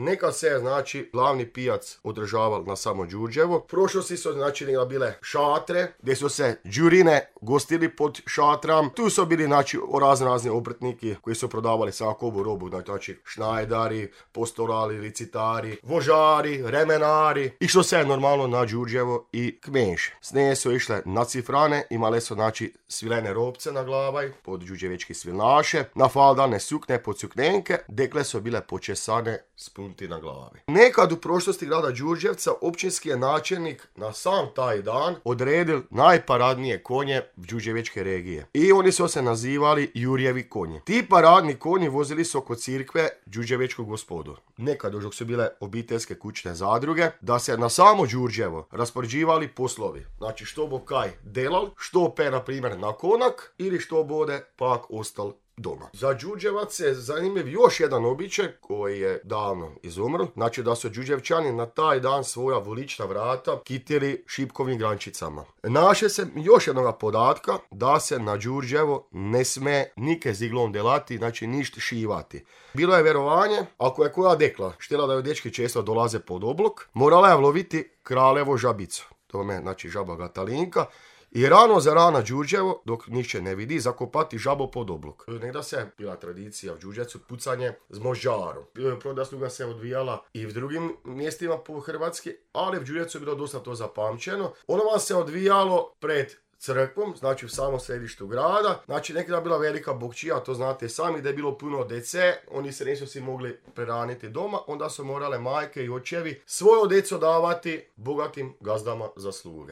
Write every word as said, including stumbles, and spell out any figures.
nekad se, znači, glavni pijac održaval na samo Đurđevo. U prošlosti su, znači, bile šatre, gdje su se đurine gostili pod šatram. Tu su bili, znači, razne razni obrtniki koji su prodavali svakovu robu, znači, šnajdari, postorali, licitari, vožari, remenari. I što se normalno na Đurđevo i kmenše. S nje su išle na cifrane, imale su, znači, svilene robce na glavaj, pod đurđevečki svilnaše, na faldane sukne pod suknenke, dekle su bile počesane s punti na glavi. Nekad u prošlosti grada Đurđevca općinski je načelnik na sam taj dan odredil najparadnije konje đurđevečke regije. I oni su se nazivali Jurjevi konji. Ti paradni konji vozili su oko cirkve đurđevečkog gospodu. Nekad dok su bile obiteljske kućne zadruge, da se na samo Đurđevo raspoređivali poslovi. Znači što bo kaj delal, što pe na primjer na konak ili što bude pak ostal doma. Za Đurđevac je zanimljiv još jedan običaj koji je davno izumro. Znači da su Đurđevčani na taj dan svoja volična vrata kitili šipkovim grančicama. Naše se još jednog podatka da se na Đurđevo ne sme nike ziglom delati, znači ništa šivati. Bilo je vjerovanje, ako je koja dekla štela da joj dečki često dolaze pod oblok, morala je loviti kraljevo žabicu. To me, znači žaba Gatalinka. I rano za rana Đurđevo, dok nišće ne vidi, zakopati žabo pod oblok. Negda se bila tradicija u Đurđevcu pucanje s možđarom. Prodasluga se odvijala i v drugim mjestima po Hrvatski, ali u Đurđevcu je bilo dosta to zapamćeno. Ono vam se odvijalo pred crkvom, znači u samom središtu grada. Znači nekada bila velika bokčija, to znate sami, da je bilo puno dece, oni se nisu si mogli preraniti doma, onda su morale majke i očevi svoje deco davati bogatim gazdama za sluge.